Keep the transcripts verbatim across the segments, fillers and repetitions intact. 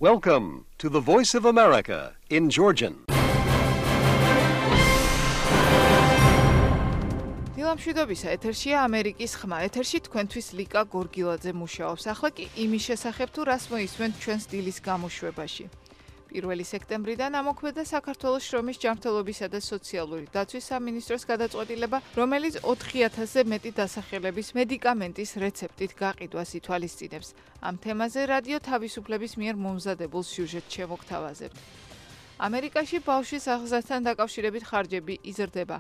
Welcome to the Voice of America in Georgian. დილამშვიდობისა, ეთერშია ამერიკის ხმა. ეთერში თქვენთვის ლიკა გორგილაძე მუშაობს. ახლა კი იმის შესახებ თუ რას მოისმენთ ჩვენს დილის გამოშვებაში. პირველი სექტემბრიდან ამოქმედა საქართველოს შრომის ჯანმრთელობისა და სოციალური დაცვის სამინისტროს გადაწყვეტილება, რომელიც ოთხი ათასზე მეტი დასახელების მედიკამენტის რეცეპტით გაყიდვას ითვალისწინებს. ამ თემაზე რადიო თავისუფლების მიერ მომზადებულ სიუჟეტს შემოგთავაზებთ. ამერიკაში ბავშვის აღზრდასთან დაკავშირებით ხარჯები იზრდება.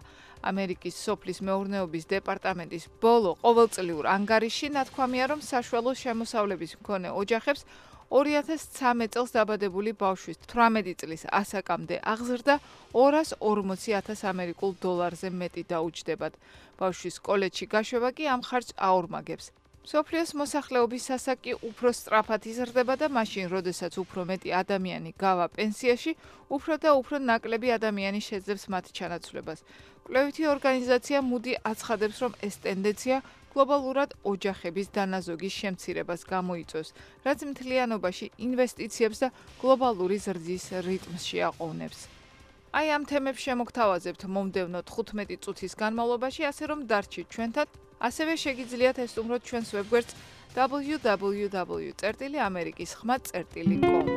ამერიკის სოფლის მეურნეობის დეპარტამენტის ბოლო ყოველწლიურ ანგარიშში ნათქვამია, რომ საშუალო შემოსავლების მქონე ოჯახებს ორი ათას ცხრამეტ წელს დაბადებული ბავშვის თვრამეტი წლის ასაკამდე აღზრდა ორას ორმოცი ათას ამერიკულ დოლარზე მეტი დაუჯდებათ. ბავშვის კოლეჯში გაშვება კი ამ ხარჯს აორმაგებს. მსოფლიოს მოსახლეობის სასაკი უფრო სწრაფად იზრდება და მაშინ, როდესაც უფრო მეტი ადამიანი გავა პენსიაში, უფრო და უფრო ნაკლები ადამიანი შეძლებს მათ ჩანაცვლებას. კვლევითი ორგანიზაცია მუდი აცხადებს, რომ ეს ტენდენცია გლობალურად ოჯახების დანაზოგის შემცირებას გამოიწვევს, რაც მთლიანობაში ინვესტიციებს და გლობალური ზრდის რიტმს შეაყოვნებს. აი ამ თემებს შემოგთავაზებთ მომდევნო თხუთმეტი წუთის განმავლობაში, ასე რომ დარჩით ჩვენთან, ასევე შეგიძლიათ ესტუმროთ ჩვენს ვებგვერდს დაბლიუ დაბლიუ დაბლიუ წერტილი ამერიკის ხმა წერტილი კომ.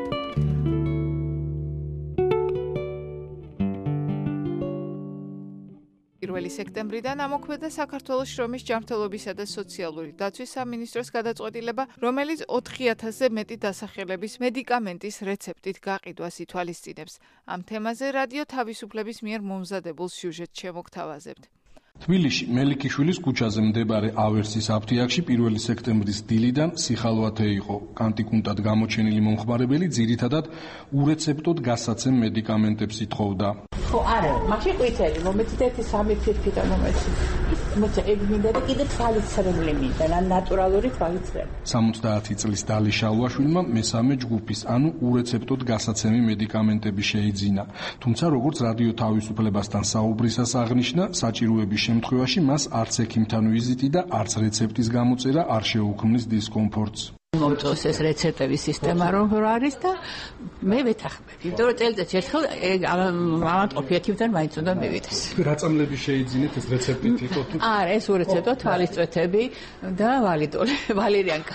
პირველი სექტემბრიდან ამოქმედა საქართველოს შრომის ჯანმრთელობისა და სოციალური დაცვის სამინისტროს გადაწყვეტილება, რომელიც ოთხი ათასზე მეტი დასახელების მედიკამენტის რეცეპტით გაყიდვას ითვალისწინებს. ამ თემაზე რადიო თავისუფლების მიერ მომზადებულ სიუჟეტს შემოგთავაზებთ. თბილისში მელიქიშვილის ქუჩაზე მდებარე ავერსის აფთიაქში პირველი სექტემბრის დილიდან სიხალვათე იყო. კანტიკუნტად გამოჩენილი მომხმარებელი ძირითადად ურეცეპტოდ გასაცემ მედიკამენტებს ითხოვდა. ხო, არა, მაშინ ყვითელი, მომეცით ერთი სამი ფირფიტა მომეცით. მოცა ეგ მინდა და კიდე თვალისწრებული მინდა, ნატურალური თვალისწრები. სამოცდაათი წლის დალი შალვაშვილმა მესამე ჯგუფის, ანუ ურეცეპტოდ გასაცემი მედიკამენტები შეიძინა. თუმცა როგორც რადიო თავისუფლებასთან საუბრისას აღნიშნა, საჭიროების შემთხვევაში მას არც ექიმთან ვიზიტი და არც რეცეპტის გამოწერა არ შეუქმნის დისკომფორტს. მომწონს ეს რეცეპტების სისტემა რომ არის და მე ვეთანხმები. იმიტომ რომ წელიწადში ერთხელ ავადმყოფი ექიმთან მაინც უნდა მივიდეს. რა წამლები შეიძინეთ ეს რეცეპტით იყო თუ? არა, ეს ურეცეპტო თვალისწვეთები და ვალიდოლი, ვალერიანკა.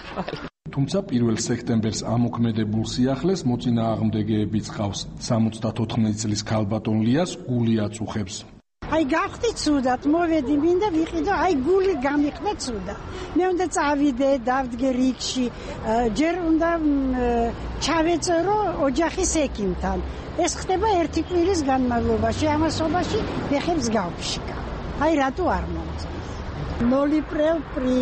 თუმცა პირველ სექტემბერს ამოქმედებულ სიახლეს მოწინააღმდეგეებიც ყავს. სამოცდათოთხმეტი წლის ქალბატონ ლიას გული აწუხებს. აი გავხდი ცუდად, მოვედი მინდა ვიყიდო, აი გული გამიხდა ცუდად. მე უნდა წავიდე, დავდგე რიგში, ჯერ უნდა ჩავეწერო ოჯახის ექიმთან. ეს ხდება ერთი კვირის განმავლობაში, ამასობაში ფეხებს გავფშიკა. აი რატო არ მომწონს? ნოლიპრევ პრი,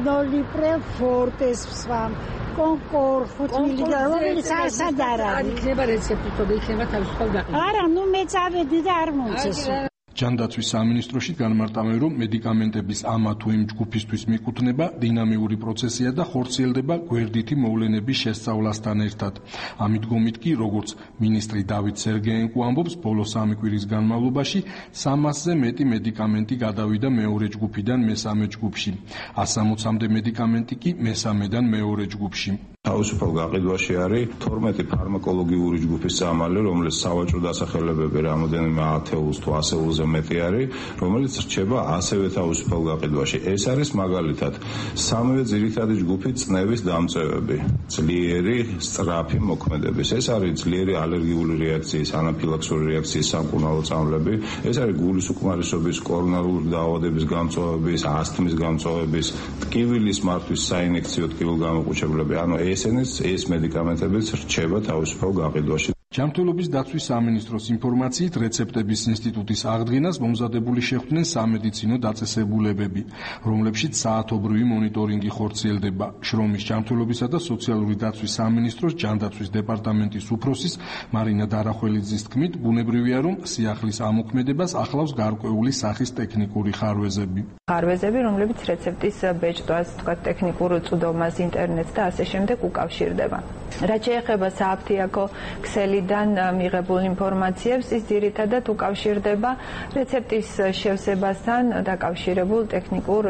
ნოლიპრევ ფორტეს სვამ. კონკორ ხუთ მილიგრამ, რომელიც ასად არ არის. იქნება რეცეპტი, თორე იქნება თავისუფალ გაყიდვა. არა, ნუ მე წავედი და არ მომწონს. ჯანდაცვის სამინისტროში განმარტავენ, რომ მედიკამენტების ამა თუ იმ ჯგუფისთვის მიკუთვნება დინამიური პროცესია და ხორციელდება გვერდითი მოვლენების შესწავლასთან ერთად. ამ მიდგომით კი, როგორც მინისტრი დავით სერგეენკო ამბობს, ბოლო სამი კვირის განმავლობაში სამასზე მეტი მედიკამენტი გადავიდა მეორე ჯგუფიდან მესამე ჯგუფში. ასამოცამდე მედიკამენტი კი მესამედან მეორე ჯგუფში. თავისუფალ გაყიდვაში არის თორმეტი ფარმაკოლოგიური ჯგუფის წამალი, რომელიც სავაჭრო დასახელებები რამოდენიმე ათეულს თუ ასეულზე მეტი არის, რომელიც რჩება ასევე თავისუფალ გაყიდვაში. ეს არის მაგალითად სამივე ძირითადი ჯგუფი წნევის დამწევები, ძლიერი სწრაფი მოქმედების. ეს არის ძლიერი ალერგიული რეაქციის, ანაფილაქსური რეაქციის სამკურნალო წამლები. ეს არის გულის უკმარისობის, კორონარული დაავადების გამწვავების, ასთმის გამწვავების, ტკივილის მართვის საინექციო ტკივილ გამოყუჩებლები. ანუ ესენიც ეს მედიკამენტებიც რჩება თავისუფალ გაყიდვაში. ჯანმრთელობის დაცვის სამინისტროს ინფორმაციით, რეცეპტების ინსტიტუტის აღდგენას მომზადებული შეხვდნენ სამედიცინო დაწესებულებები, რომლებშიც საათობრივი მონიტორინგი ხორციელდება. შრომის ჯანმრთელობისა და სოციალური დაცვის სამინისტროს ჯანდაცვის დეპარტამენტის უფროსის მარინა დარახველიძის თქმით, ბუნებრივია, რომ სიახლის ამოქმედებას ახლავს გარკვეული სახის ტექნიკური ხარვეზები. ხარვეზები, რომლებიც რეცეპტის ბეჭდვას, თქვა ტექნიკურ წვდომას, ინტერნეტს და ასე შემდეგ უკავშირდება. რაც შეეხება სააფთიაქო ქსელიდან მიღებულ ინფორმაციებს, ის ძირითადად უკავშირდება რეცეპტის შევსებასთან დაკავშირებულ ტექნიკურ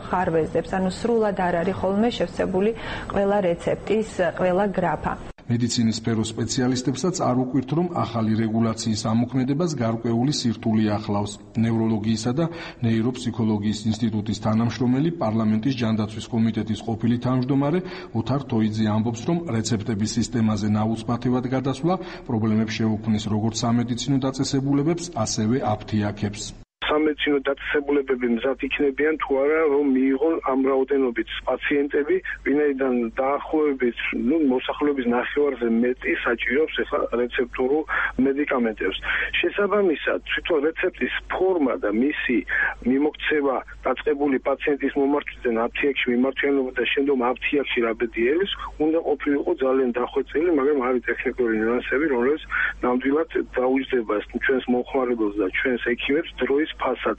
ხარვეზებს, ანუ სრულად არ არის ხოლმე შევსებული ყველა რეცეპტის ყველა გრაფა. მედიცინის სფეროს სპეციალისტებსაც არ უკვირთ, რომ ახალი რეგულაციის ამოქმედებას გარკვეული სირთულე ახლავს. ნევროლოგიისა და ნეიროფსიქოლოგიის ინსტიტუტის თანამშრომელი, პარლამენტის ჯანდაცვის კომიტეტის ყოფილი თავმჯდომარე ოთარ თოიძე ამბობს, რომ რეცეპტების სისტემაზე ნაუცბათევად გადასვლა პრობლემებს შეუქმნის როგორც სამედიცინო დაწესებულებებს, ასევე აფთიაქებს. სამედიცინო დაწესებულებები მზად იქნებიან თუ არა, რომ მიიღონ ამ რაოდენობით პაციენტები, ვინაიდან დაახლოებით, ну, მოსახლეობის ნახევარზე მეტი საჭიროებს ახლა რეცეპტურულ მედიკამენტებს. შესაბამისად, თვითონ რეცეპტის ფორმა და მისი მიმოქცევა დაწყებული პაციენტის მომართვიდან აფთიაქში მიმართვიანობა და შემდგომ აფთიაქში რაბედიელის უნდა ყოფილიყო ძალიან დახვეწილი, მაგრამ არის ტექნიკური ნიუანსები, რომლებიც ნამდვილად დაუჯდება ჩვენს მომხმარებელს და ჩვენს ექიმებს დროის ფასად.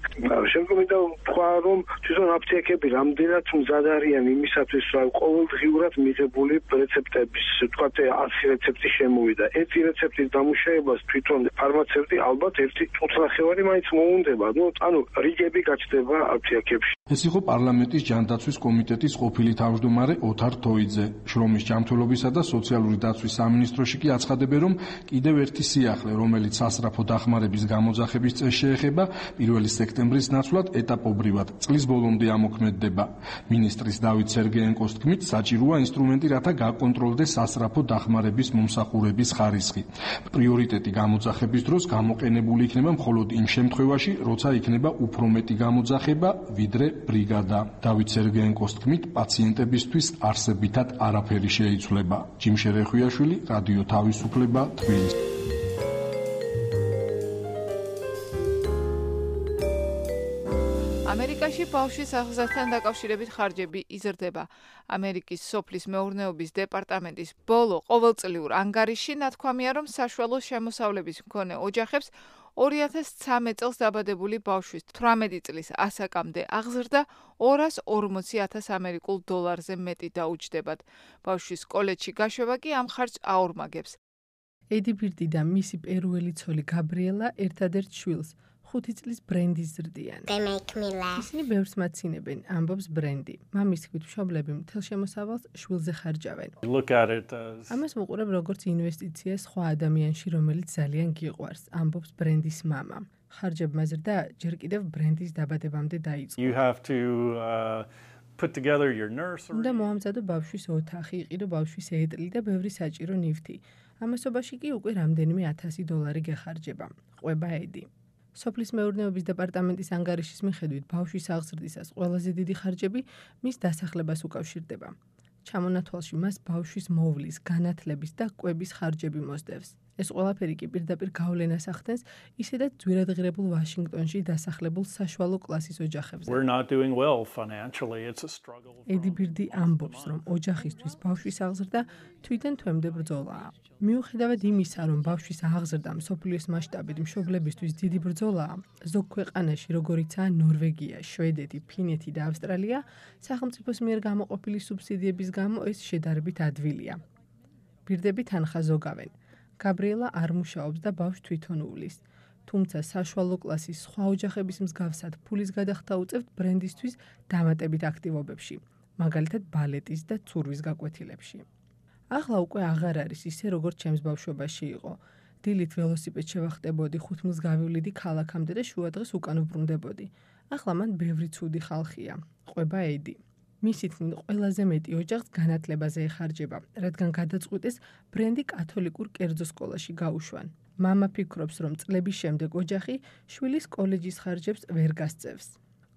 შემდგომ მინდა ვთქვა, რომ თვითონ აფთიაქები რამდენად მზად არიან იმისათვის, რომ ყოველდღიურად მიღებული რეცეპტების, ვთქვათ, ასი რეცეპტი შემოვიდა. ერთი რეცეპტის დამუშავებას თვითონ ფარმაცევტი ალბათ ერთი წუთნახევარი მაინც მოუნდება. ნუ, ანუ რიგები გაჩნდება აფთიაქებში. ეს იყო პარლამენტის ჯანდაცვის კომიტეტის ყოფილი თავმჯდომარე ოთარ თოიძე. შრომის ჯანმრთელობისა და სოციალური დაცვის სამინისტროში კი აცხადებენ, რომ კიდევ ერთი სიახლე, რომელიც სასწრაფო დახმარების გამოძახების წესს შეეხება, პირველი სექტემბრის ნაცვლად ეტაპობრივად წლის ბოლომდე ამოქმედდება. მინისტრის დავით სერგეენკოს თქმით, საჭიროა ინსტრუმენტი, რათა გაკონტროლდეს სასწრაფო დახმარების მომსახურების ხარისხი. პრიორიტეტი გამოძახების დროს გამოყენებული იქნება მხოლოდ იმ შემთხვევაში, როცა იქნება უფრო მეტი გამოძახება, ვიდრე ბრიგადა. დავით სერგეენკოს თქმით, პაციენტებისთვის არსებითად არაფერი შეიცვლება. ჯიმშე რეხვიაშვილი, რადიო თავისუფლება, თბილისი. ამერიკაში ბავშვის აღზრდასთან დაკავშირებით ხარჯები იზრდება. ამერიკის სოფლის მეურნეობის დეპარტამენტის ბოლო ყოველწლიურ ანგარიშში ნათქვამია, რომ საშუალო შემოსავლების მქონე ოჯახებს ორი ათას ცხრამეტ წელს დაბადებული ბავშვის თვრამეტი წლის ასაკამდე აღზრდა ორას ორმოცი ათას ამერიკულ დოლარზე მეტი დაუჯდებათ. ბავშვის კოლეჯში გაშვება კი ამ ხარჯს აორმაგებს. ედი ბირდი და მისი პერუელი ცოლი გაბრიელა ერთადერთ შვილს ხუთი წლის ბრენდის ზრდიან. ისინი ბევრს მაცინებენ, ამბობს ბრენდი. მამის თქმით, მშობლები მთელ შემოსავალს შვილზე ხარჯავენ. ამას ვუყურებ როგორც ინვესტიცია სხვა ადამიანში, რომელიც ძალიან გიყვარს, ამბობს ბრენდის მამა. ხარჯებმა ზრდა ჯერ კიდევ ბრენდის დაბადებამდე დაიწყო. უნდა მოამზადო ბავშვის ოთახი, იყიდო ბავშვის ეტლი და ბევრი საჭირო ნივთი. ამასობაში კი უკვე რამდენიმე ათასი დოლარი გეხარჯება. ყვება ედი. სოფლის მეურნეობის დეპარტამენტის ანგარიშის მიხედვით, ბავშვის აღზრდისას ყველაზე დიდი ხარჯები მის დასახლებას უკავშირდება. ჩამონათვალში მას ბავშვის მოვლის, განათლების და კვების ხარჯები მოსდევს. ეს ყველაფერი კი პირდაპირ გავლენას ახდენს ისედაც ძვირადღირებულ ვაშინგტონში დასახლებულ საშუალო კლასის ოჯახებზე. ედი ბირდი ამბობს, რომ ოჯახისთვის ბავშვის აღზრდა თვითონ თვემდე ბრძოლაა. მიუხედავად იმისა, რომ ბავშვის აღზრდა მსოფლიოს მასშტაბით მშობლებისთვის დიდი ბრძოლაა, ზოგ ქვეყანაში, როგორიცაა ნორვეგია, შვედეთი, ფინეთი და ავსტრალია, სახელმწიფოს მიერ გამოყოფილი სუბსიდიების გამო ეს შედარებით ადვილია. ბირდები თანხა ზოგავენ. გაბრიელა არ მუშაობს და ბავშვს თვითონ უვლის. თუმცა საშუალო კლასის სხვა ოჯახების მსგავსად ფულის გადახდა უწევთ ბრენდისთვის დამატებით აქტივობებში, მაგალითად ბალეტის და ცურვის გაკვეთილებში. ახლა უკვე აღარ არის ისე, როგორც ჩემს ბავშვობაში იყო. დილით ველოსიპედს შევახტებოდი, ხუთ მილს გავივლიდი ქალაქამდე და შუადღეს უკან ვბრუნდებოდი. ახლა მან ბევრი ცუდი ხალხია. ყვება ედი. მისი თქმით, ყველაზე მეტი ოჯახს განათლებაზე ეხარჯება, რადგან გადაწყვიტეს ბრენდი კათოლიკურ კერძო სკოლაში გაუშვან. მამა ფიქრობს, რომ წლების შემდეგ ოჯახი შვილის კოლეჯის ხარჯებს ვერ გასწევს.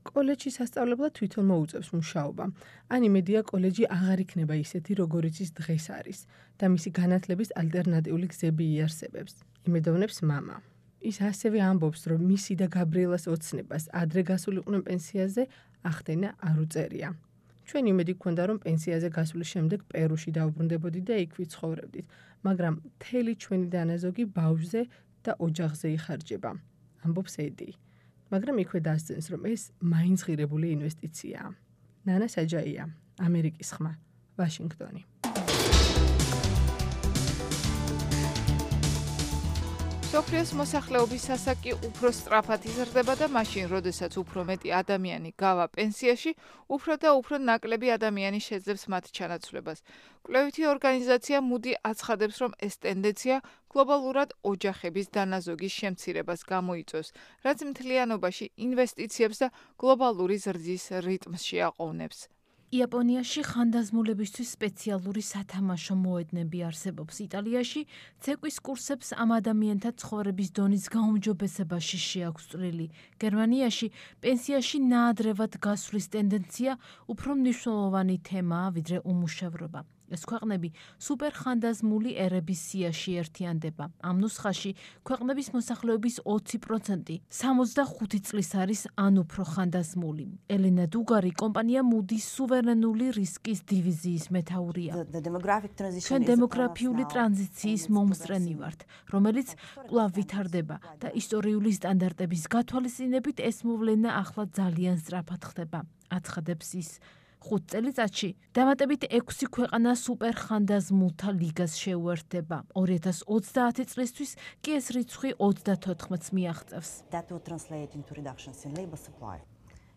კოლეჯში სასწავლებლად თვითონ მოუწევს მუშაობა. ან იმედია კოლეჯი აღარ იქნება ისეთი, როგორიც ის დღეს არის და მისი განათლების ალტერნატიული გზები იარსებებს. იმედოვნებს მამა. ის ასევე ამბობს, რომ მისი და გაბრიელას ოცნებას ადრე გასულიყვნენ პენსიაზე ახდენა არ უწერია. ჩვენ იმედი გვქონდა, რომ პენსიაზე გასვლის შემდეგ პერუში დავბრუნდებოდით და იქ ვიცხოვრებდით, მაგრამ მთელი ჩვენი დანაზოგი ბავშვზე და ოჯახზე იხარჯება, ამბობს ედი. მაგრამ იქვე დასძენს, რომ ეს მაინც ღირებული ინვესტიციაა. ნანა საჯაია, ამერიკის ხმა, ვაშინგტონი. მსოფლიოს მოსახლეობის სასაკი უფრო სწრაფად იზრდება და მაშინ, როდესაც უფრო მეტი ადამიანი გავა პენსიაში, უფრო და უფრო ნაკლები ადამიანი შეძლებს მათ ჩანაცვლებას. კვლევითი ორგანიზაცია Moody აცხადებს, რომ ეს ტენდენცია გლობალურად ოჯახების დანაზოგის შემცირებას გამოიწვევს, რაც მთლიანობაში ინვესტიციებს და გლობალური ზრდის რიტმს შეაყოვნებს. იაპონიაში ხანდაზმულებისთვის სპეციალური სათამაშო მოედნები არსებობს. იტალიაში ცეკვის კურსებს ამ ადამიანთა ცხოვრების დონის გაუმჯობესებაში შეაქვს წვლილი. გერმანიაში პენსიაში ნაადრევად გასვლის ტენდენცია უფრო მნიშვნელოვანი თემაა, ვიდრე უმუშევრობა. ეს ქვეყნები სუპერხანდაზმული ერების სიაში ერთიანდება. ამ ნუსხაში ქვეყნების მოსახლეობის ოცი პროცენტი სამოცდახუთი წლის არის ან უფრო ხანდაზმული. ელენა დუგარი კომპანია Moody's სუვერენული რისკის დივიზიის მეთაურია. ჩვენ დემოგრაფიული ტრანზიციის მომსწრენი ვართ, რომელიც კვლავ ვითარდება და ისტორიული სტანდარტების გათვალისწინებით ეს მოვლენა ახლა ძალიან სწრაფად ხდება. აცხადებს ის. ხუთ წელიწადში დამატებით ექვსი ქვეყანა სუპერხანდაზმულთა ლიგას შეუერთდება. ორი ათას ოცდაათი წლისთვის კი ეს რიცხვი ოცდათოთხმეტს მიაღწევს.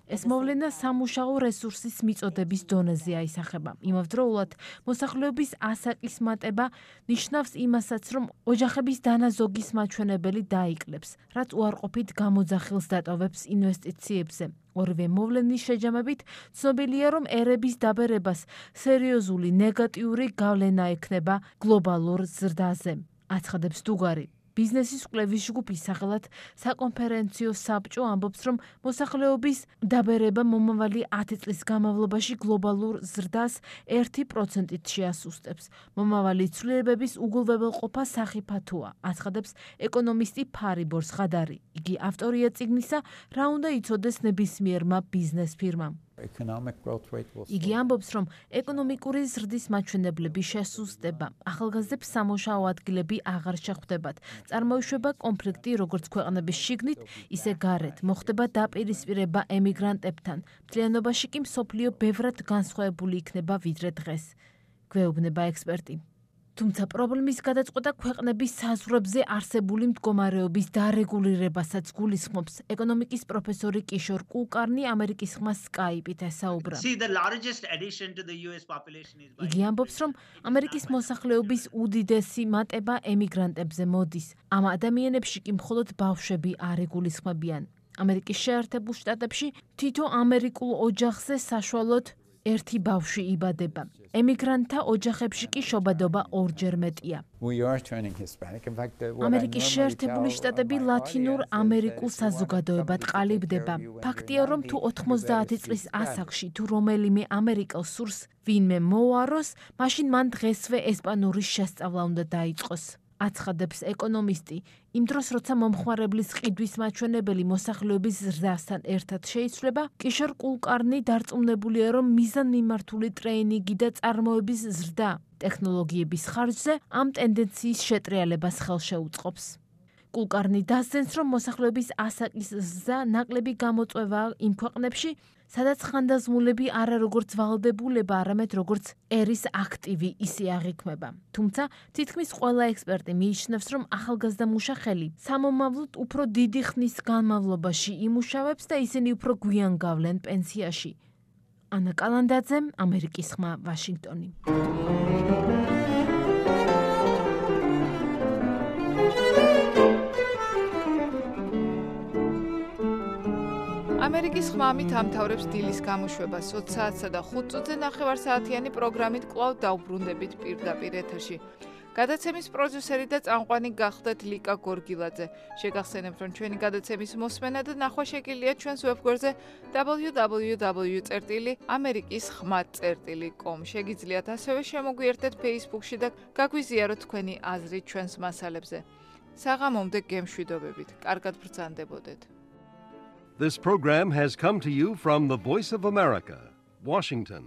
ეს მოვლენა სამუშაო რესურსის მიწოდების დონეზე აისახება. იმავდროულად, მოსახლეობის ასაკის მატება ნიშნავს იმასაც, რომ ოჯახების დანაზოგის მაჩვენებელი დაიკლებს, რაც უარყოფით გამოძახილს დატოვებს ინვესტიციებზე. ორივე მოვლენის შეჯამებით ცნობილია, რომ ერების დაბერებას სერიოზული ნეგატიური გავლენა ექნება გლობალურ ზრდაზე. აცხადებს დუგარი. ბიზნესის კვლევის ჯგუფის სახელად საკონფერენციო საბჭო ამბობს, რომ მოსახლეობის დაბერება მომავალი ათი წლის განმავლობაში გლობალურ ზრდას ერთი პროცენტით შეასუსტებს. მომავალი ცვლილებების უგულვებელყოფა სახიფათოა, აცხადებს ეკონომისტი ფარიბორ სხადარი. იგი ავტორია წიგნისა, რა უნდა იცოდეს ნებისმიერმა ბიზნეს ფირმამ. იგი ამბობს, რომ ეკონომიკური ზრდის მაჩვენებლები შესუსტება. ახალგაზრდებს სამუშაო ადგილები აღარ შეხვდებათ. წარმოიშვება კონფლიქტი როგორც ქვეყნების შიგნით, ისე გარეთ. მოხდება დაპირისპირება ემიგრანტებთან. მთლიანობაში კი მსოფლიო ბევრად განსხვავებული იქნება ვიდრე დღეს. გვეუბნება ექსპერტი. თუმცა პრობლემის გადაწყვეტა ქვეყნების საზღვრებზე არსებული მდგომარეობის დარეგულირებასაც გულისხმობს. ეკონომიკის პროფესორი კიშორ კულკარნი ამერიკის ხმა Skype-ით ესაუბრა. იგი ამბობს, რომ ამერიკის მოსახლეობის უდიდესი მატება ემიგრანტებზე მოდის. ამ ადამიანებში კი მხოლოდ ბავშვები არ იგულისხმებიან. ამერიკის შეერთებულ შტატებში თითო ამერიკულ ოჯახზე საშუალოდ ერთი ბავშვი იბადება. ემიგრანტთა ოჯახებში კი შობადობა ორჯერ მეტია. ამერიკის შეერთებული შტატები ლათინურ ამერიკულ საზოგადოებად ყალიბდება. ფაქტია, რომ თუ ოთხმოცდაათი წლის ასაკში თუ რომელიმე ამერიკელს სურს ვინმე მოუაროს, მაშინ მან დღესვე ესპანურის შესწავლა უნდა დაიწყოს. აცხადებს ეკონომისტი. იმ დროს, როცა მომხმარებლის ყიდვის მაჩვენებელი მოსახლეობის ზრდასთან ერთად შეიცვლება, კიშორ კულკარნი დარწმუნებულია, რომ მიზანმიმართული ტრეინინგი და წარმოების ზრდა ტექნოლოგიების ხარჯზე ამ ტენდენციის შეტრიალებას ხელშეუწყობს. კულკარნი დასძენს, რომ მოსახლეობის ასაკის ზრდა ნაკლები გამოწვევაა იმ ქვეყნებში, სადაც ხანდაზმულები არა როგორც ვალდებულება, არამედ როგორც ერის აქტივი ისე აღიქმება. თუმცა, თითქმის ყველა ექსპერტი მიიჩნევს, რომ ახალგაზრდა მუშახელი სამომავლოდ უფრო დიდი ხნის განმავლობაში იმუშავებს და ისინი უფრო გვიან გავლენ პენსიაში. ანა კალანდაძე, ამერიკის ხმა, ვაშინგტონი. ამერიკის ხმა ამით ამთავრებს დილის გამოშვებას. ოცი საათსა და ხუთ წუთზე ნახევარსაათიანი პროგრამით კვლავ დავბრუნდებით პირდაპირ ეთერში. გადაცემის პროდიუსერი და წამყვანი გახლდათ ლიკა გორგილაძე. შეგახსენებთ, რომ ჩვენი გადაცემის მოსმენა და ნახვა შეგიძლიათ ჩვენს ვებგვერდზე დაბლიუ დაბლიუ დაბლიუ წერტილი ამერიკის ხმა წერტილი კომ. შეგიძლიათ ასევე შემოგვიერთდეთ Facebook-ში და გაგვიზიაროთ თქვენი აზრი ჩვენს მასალებზე. საღამომდე გემშვიდობებით. კარგად ბრძანდებოდეთ. This program has come to you from the Voice of America, Washington.